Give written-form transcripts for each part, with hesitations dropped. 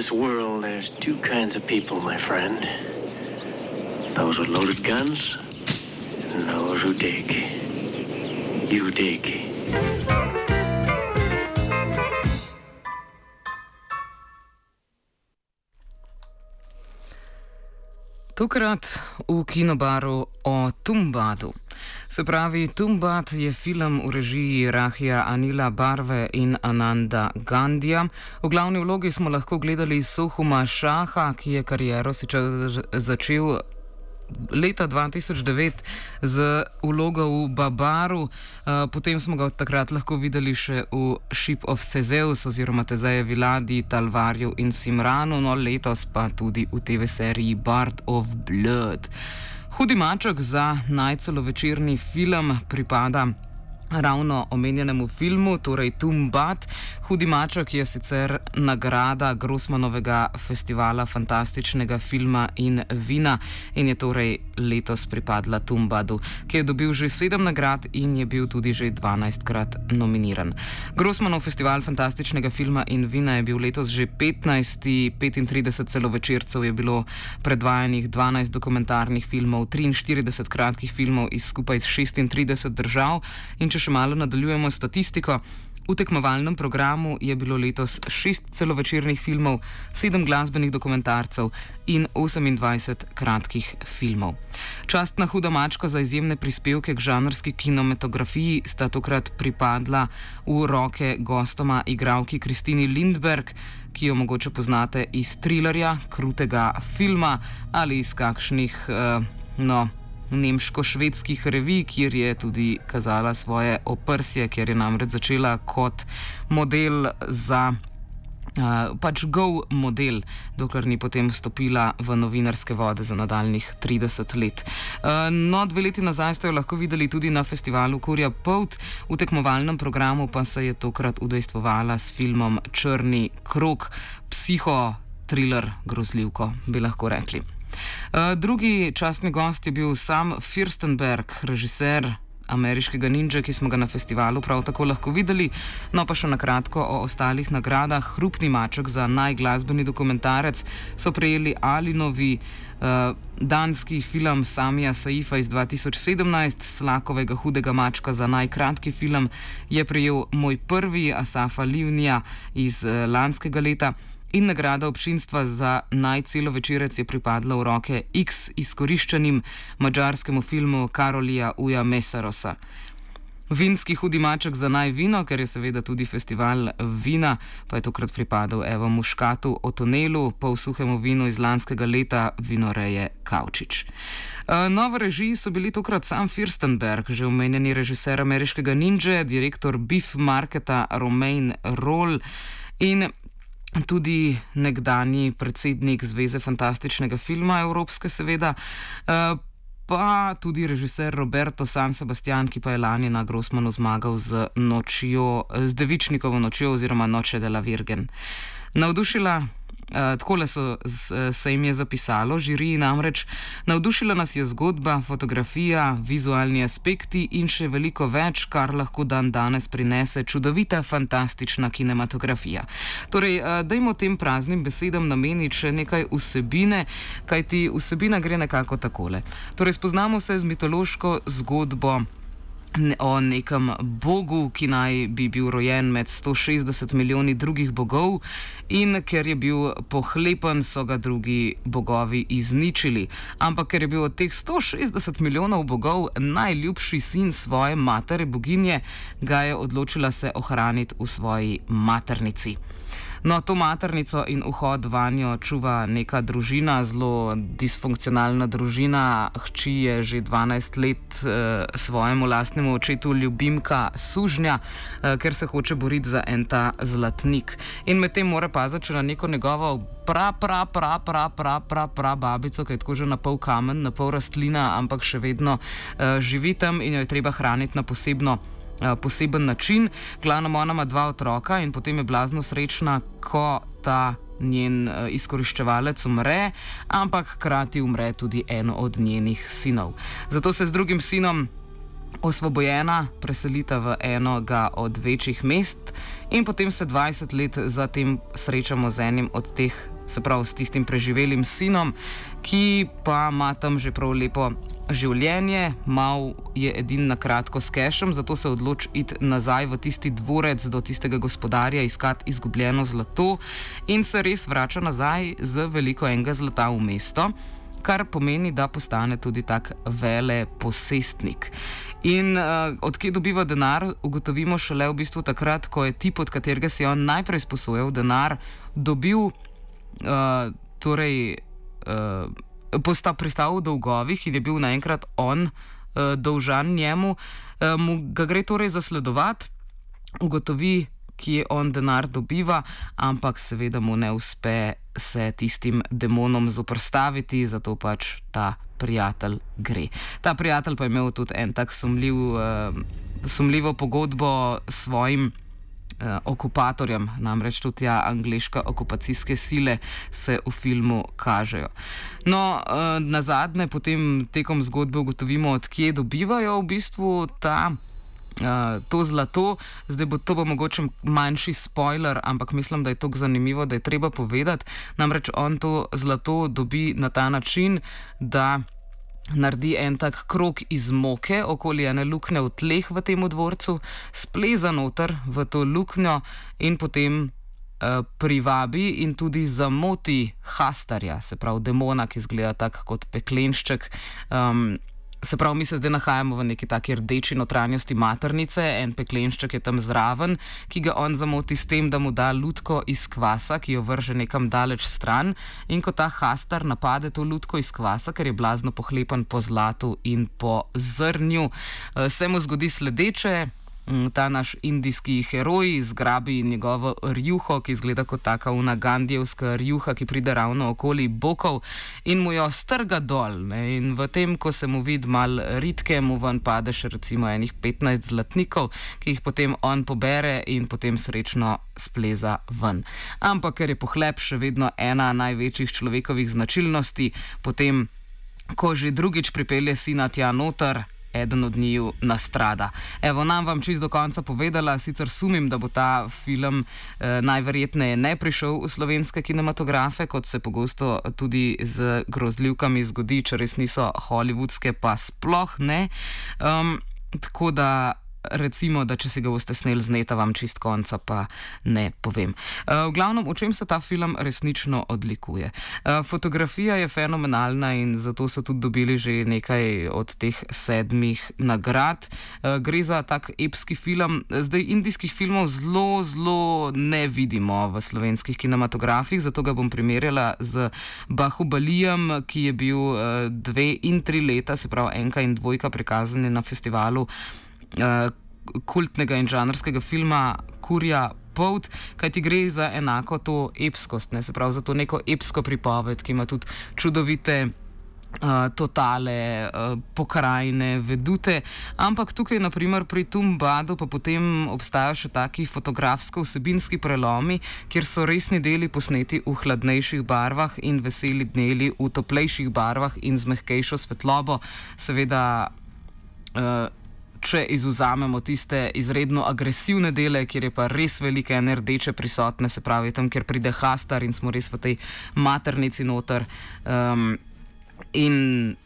this world, there's two kinds of people, my friend. Those with loaded guns and those who dig. You dig. Tokrat v kinobaru o Tumbadu. Se pravi, Tumbad je film v režiji Rahija Anila Barve in Ananda Gandija. V glavni vlogi smo lahko gledali Sohuma Šaha, ki je kariero sicer začel leta 2009 z vlogo v Babaru, potem smo ga od takrat lahko videli še v Ship of Theseus oziroma Tezejevi ladji, Talvarju in Simranu, no letos pa tudi v TV seriji Bard of Blood. Hudi maček za najcelovečerni film pripada ravno omenjenemu filmu, torej Tumbad. Hudi maček je sicer nagrada Grossmanovega festivala fantastičnega filma in vina in je torej letos pripadla Tumbadu, ki je dobil že 7 nagrad in je bil tudi že 12krat nominiran. Grossmanov festival fantastičnega filma in vina je bil letos že 15. 35 celovečercev je bilo predvajanih, 12 dokumentarnih filmov, 43 kratkih filmov iz skupaj 36 držav in če še malo nadaljujemo statistiko, v tekmovalnem programu je bilo letos 6 celovečernih filmov, 7 glasbenih dokumentarcev in 28 kratkih filmov. Častna huda mačka za izjemne prispevke k žanrski kinematografiji sta tokrat pripadla v roke gostoma igralki Kristini Lindberg, ki jo mogoče poznate iz Thrillerja, krutega filma ali iz kakšnih, nemško-švedskih revij, kjer je tudi kazala svoje oprsje, ker je namreč začela kot model za go model, dokler ni potem vstopila v novinarske vode za nadaljnih 30 let. 2 leti nazaj ste jo lahko videli tudi na festivalu Kurja polt, v tekmovalnem programu pa se je tokrat udejstvovala s filmom Črni krog, psiho-thriller grozljivko, bi lahko rekli. Drugi častni gost je bil Sam Firstenberg, režiser Ameriškega ninja, ki smo ga na festivalu prav tako lahko videli. No pa še na kratko o ostalih nagradah. Hrupni maček za najglasbeni dokumentarec so prejeli Alinovi danski film Samija Saifa iz 2017, Slakovega hudega mačka za najkratki film je prejel Moj prvi Asafa Livnija iz lanskega leta. In nagrada občinstva za najcelovečerec je pripadla v roke X izkoriščenim madžarskemu filmu Karolija Uja Mesarosa. Vinski hudi maček za najvino, ker je seveda tudi festival vina, pa je tokrat pripadal Evo Muškatu o tunelu, polsuhemu vinu iz lanskega leta vinoreje Kavčič. V režiji so bili tokrat Sam Firstenberg, že omenjeni režiser Ameriškega ninja, direktor Beef Marketa Romain Roll in tudi nekdanji predsednik Zveze fantastičnega filma Evropske, seveda, pa tudi režiser Roberto San Sebastian, ki pa je lani na Grossmanu zmagal z Devičnikovo nočjo oziroma Noche de la Virgen. Navdušila, takole se jim je zapisalo, žiriji namreč, navdušila nas je zgodba, fotografija, vizualni aspekti in še veliko več, kar lahko danes prinese čudovita, fantastična kinematografija. Torej, dajmo tem praznim besedam nameniti še nekaj vsebine, kajti vsebina gre nekako takole. Torej, spoznamo se z mitološko zgodbo o nekem bogu, ki naj bi bil rojen med 160 milijoni drugih bogov in ker je bil pohlepen, so ga drugi bogovi izničili. Ampak ker je bil od teh 160 milijonov bogov najljubši sin svoje matere boginje, ga je odločila se ohraniti v svoji maternici. No, to maternico in vhod vanjo čuva neka družina, zelo disfunkcionalna družina. Hči je že 12 let svojemu lastnemu očetu ljubimka sužnja, ker se hoče boriti za en ta zlatnik. In medtem mora paziti na neko njegovo babico, ki je tako že na pol kamen, na pol rastlina, ampak še vedno živi tam in jo je treba hraniti na poseben način. Glavno ona ima 2 otroka in potem je blazno srečna, ko ta njen izkoriščevalec umre, ampak hkrati umre tudi eno od njenih sinov. Zato se z drugim sinom osvobojena, preselita v enega od večjih mest in potem se 20 let zatem srečamo z enim od teh, se pravi s tistim preživelim sinom, ki pa ima tam že prav lepo življenje, mal je edin na kratko s kešem, zato se odloči iti nazaj v tisti dvorec do tistega gospodarja, iskati izgubljeno zlato in se res vrača nazaj z veliko enega zlata v mesto, kar pomeni, da postane tudi tak veleposestnik. In odkje dobiva denar, ugotovimo šele v bistvu takrat, ko je tip, od katerega si on najprej sposojal denar, dobil, pristal v dolgovih in je bil naenkrat on dolžan njemu, mu ga gre torej zasledovati, ugotovi, kje on denar dobiva, ampak seveda mu ne uspe se tistim demonom zoperstaviti, zato pač ta prijatelj gre. Ta prijatelj pa je imel tudi en tak sumljivo pogodbo s svojim okupatorjem, namreč tudi angleške okupacijske sile se v filmu kažejo. No, nazadnje potem tekom zgodbe ugotovimo, odkje dobivajo v bistvu to zlato. Zdaj to bo mogoče manjši spoiler, ampak mislim, da je to zanimivo, da je treba povedati. Namreč on to zlato dobi na ta način, da naredi en tak krog iz moke okoli ene luknje v tleh v tem dvorcu, spleza noter v to luknjo in potem privabi in tudi zamoti Hastarja, se pravi demona, ki izgleda tak kot peklenšček. Se pravi, mi se zdaj nahajamo v neki taki rdeči notranjosti maternice, en peklenšček je tam zraven, ki ga on zamoti s tem, da mu da lutko iz kvasa, ki jo vrže nekam daleč stran, in ko ta Hastar napade to lutko iz kvasa, ker je blazno pohlepan po zlatu in po zrnju, se mu zgodi sledeče. Ta naš indijski heroj zgrabi njegovo rjuho, ki izgleda kot taka una gandijevska rjuha, ki pride ravno okoli bokov in mu jo strga dol. Ne? In v tem, ko se mu vidi mal ritke, mu ven pade še recimo enih 15 zlatnikov, ki jih potem on pobere in potem srečno spleza ven. Ampak ker je pohlep še vedno ena največjih človekovih značilnosti, potem, ko že drugič pripelje sina tja noter, eden od njiju nastrada. Evo, nam vam čisto do konca povedala, sicer sumim, da bo ta film najverjetneje ne prišel v slovenske kinematografe, kot se pogosto tudi z grozljivkami zgodi, če res niso hollywoodske, pa sploh ne. Tako da recimo, da če si ga boste sneli z neta, vam čist konca pa ne povem. V glavnem, o čem se ta film resnično odlikuje? Fotografija je fenomenalna in zato so tudi dobili že nekaj od teh 7 nagrad. Gre za tak epski film. Zdaj indijskih filmov zelo ne vidimo v slovenskih kinematografih, zato ga bom primerjala z Bahubalijem, ki je bil 2 in 3 leta, se pravi 1 in 2 prikazani na festivalu kultnega in žanrskega filma Kurja polt, kajti gre za enako to epskost, ne? Se pravi za to neko epsko pripoved, ki ima tudi čudovite totale, pokrajine, vedute, ampak tukaj naprimer pri Tumbadu pa potem obstajajo še taki fotografsko-vsebinski prelomi, kjer so resni deli posneti v hladnejših barvah in veseli deli v toplejših barvah in z mehkejšo svetlobo. Seveda, če izvzamemo tiste izredno agresivne dele, kjer je pa res velike ene rdeče prisotne, se pravi tam, kjer pride Hastar in smo res v tej maternici noter, in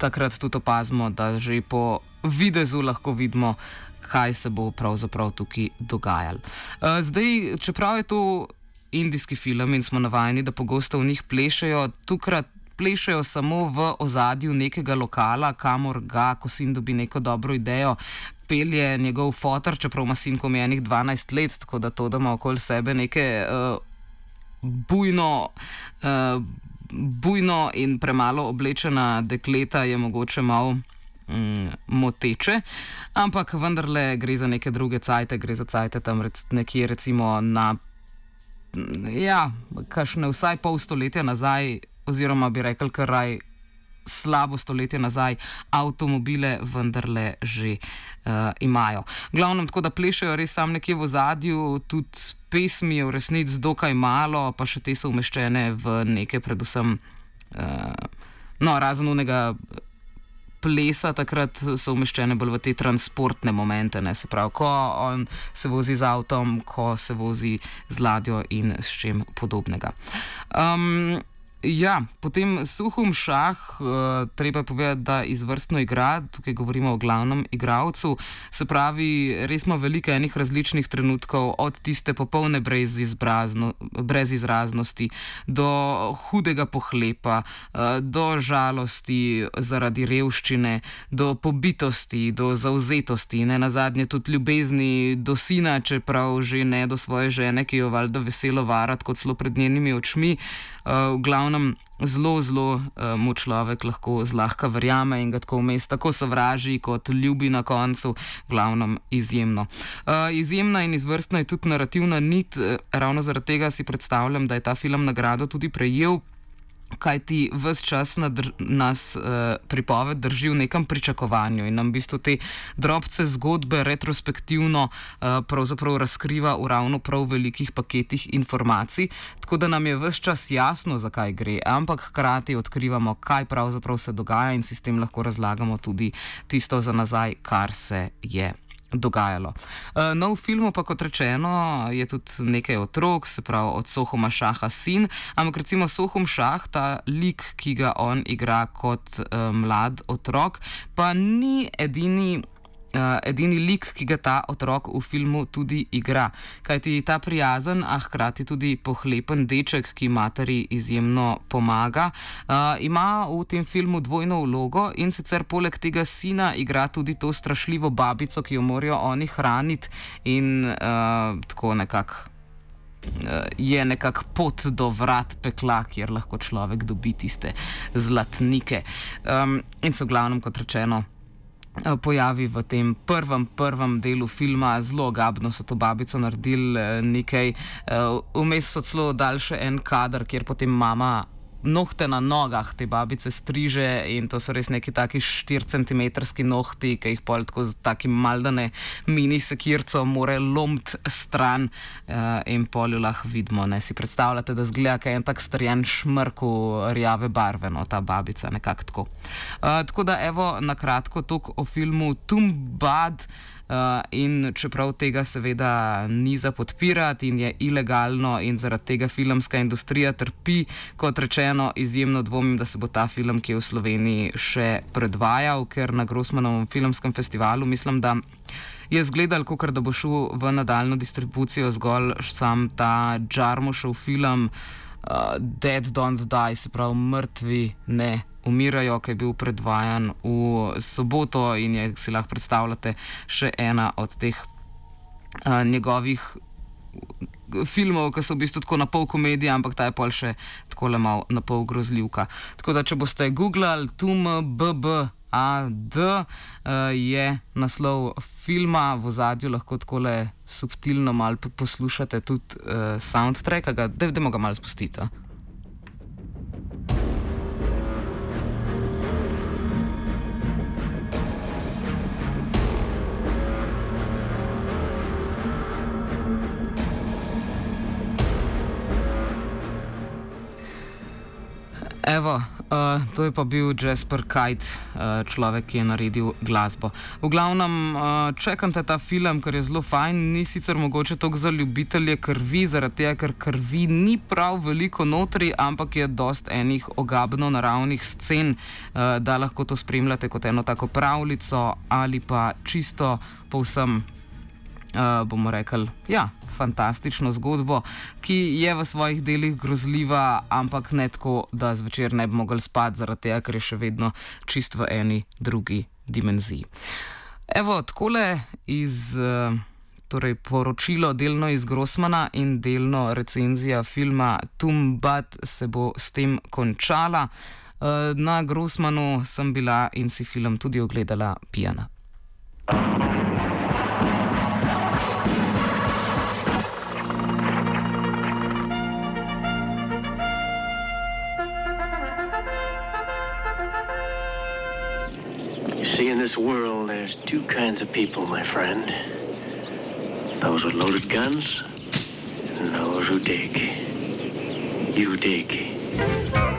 takrat tudi opazimo, da že po videzu lahko vidimo, kaj se bo pravzaprav tukaj dogajalo. Zdaj, čeprav je to indijski film in smo navajeni, da pogosto v njih plešejo, tukaj plešejo samo v ozadju nekega lokala, kamor ga, ko sin dobi neko dobro idejo, pelje njegov fotor, čeprav ima sin komjenih 12 let, tako da to, da ima okoli sebe neke bujno in premalo oblečena dekleta, je mogoče malo moteče, ampak vendarle gre za neke druge cajte, gre za cajte tam nekje recimo na kakšne vsaj pol stoletja nazaj, oziroma bi rekel kar slabo stoletje nazaj, avtomobile vendarle že imajo. Glavnem, tako da plešejo res sam nekje v ozadju, tudi pesmi je v resnici dokaj malo, pa še te so umeščene v neke predvsem razen unega plesa takrat so umeščene bolj v te transportne momente, ne? Se pravi, ko on se vozi z avtom, ko se vozi z ladjo in s čim podobnega. Ja, potem Suhum Šah, treba je povedati, da izvrstno igra, tukaj govorimo o glavnem igralcu, se pravi, res ima veliko enih različnih trenutkov, od tiste popolne brezizraznosti, do hudega pohlepa, do žalosti zaradi revščine, do pobitosti, do zauzetosti, ne nazadnje tudi ljubezni do sina, čeprav že ne do svoje žene, ki jo valjda veselo varati kot celo pred njenimi očmi. V glavnem zelo mu človek lahko zlahka verjame in ga tako vmes tako sovraži kot ljubi na koncu, v glavnem izjemno. Izjemna in izvrstna je tudi narativna nit, ravno zaradi tega si predstavljam, da je ta film nagrado tudi prejel, kajti ves čas nas pripoved drži v nekem pričakovanju in nam v bistvu te drobce zgodbe retrospektivno pravzaprav razkriva v ravno prav velikih paketih informacij, tako da nam je ves čas jasno, zakaj gre, ampak hkrati odkrivamo, kaj pravzaprav se dogaja in si s tem lahko razlagamo tudi tisto za nazaj, kar se je dogajalo. No, v filmu pa, kot rečeno, je tudi nekaj otrok, se pravi od Sohuma Šaha sin, ampak recimo Sohum Šah, ta lik, ki ga on igra kot mlad otrok, pa ni edini lik, ki ga ta otrok v filmu tudi igra. Kajti ta prijazen, a hkrati tudi pohlepen deček, ki materi izjemno pomaga, ima v tem filmu dvojno vlogo in sicer poleg tega sina igra tudi to strašljivo babico, ki jo morajo oni hraniti in tako nekako je nekako pot do vrat pekla, kjer lahko človek dobi tiste zlatnike. In so v glavnem, kot rečeno, pojavi v tem prvem delu filma, zelo ogabno so to babico naredili nekaj, vmes so celo dali še en kader, kjer potem mama nohte na nogah te babice striže in to so res neki taki 4 centimetrski nohti, ki jih pol tako z takim maldane mini sekirco more lomiti stran in pol jo lahko vidimo, ne, si predstavljate, da zgleda, kaj je en tak strjen šmrk v rjave barve, no, ta babica, nekako tako. Tako da evo, na kratko toliko o filmu Tumbad. In čeprav tega seveda ni za podpirati in je ilegalno in zaradi tega filmska industrija trpi, kot rečeno, izjemno dvomim, da se bo ta film, ki je v Sloveniji, še predvajal, ker na Grossmanovem filmskem festivalu mislim, da je zgledal, kakor da bo šel v nadaljno distribucijo zgolj sam ta Jarmušov film Dead Don't Die, se pravi mrtvi ne umirajo, ki je bil predvajan v soboto in je, si lahko predstavljate, še ena od teh njegovih filmov, ki so v bistvu tako na pol komedija, ampak ta je pol še takole mal na pol grozljivka. Tako da, če boste googlali Tumbad, je naslov filma, v ozadju lahko takole subtilno mal poslušate tudi soundtrack, dajmo ga mal spustiti. Evo, to je pa bil Jasper Kite, človek, ki je naredil glasbo. V glavnem, čekajte ta film, ker je zelo fajn, ni sicer mogoče toliko za ljubitelje krvi, zaradi tega, ker krvi ni prav veliko notri, ampak je dost enih ogabno naravnih scen, da lahko to spremljate kot eno tako pravljico ali pa čisto povsem, bomo rekli, ja, fantastično zgodbo, ki je v svojih delih grozljiva, ampak ne tako, da zvečer ne bi mogli spati, zaradi tega, ker je še vedno čist v eni drugi dimenziji. Evo, takole iz torej poročilo delno iz Grossmana in delno recenzija filma Tumbad se bo s tem končala. Na Grossmanu sem bila in si film tudi ogledala pijana. See, in this world, there's two kinds of people, my friend. Those with loaded guns and those who dig. You dig.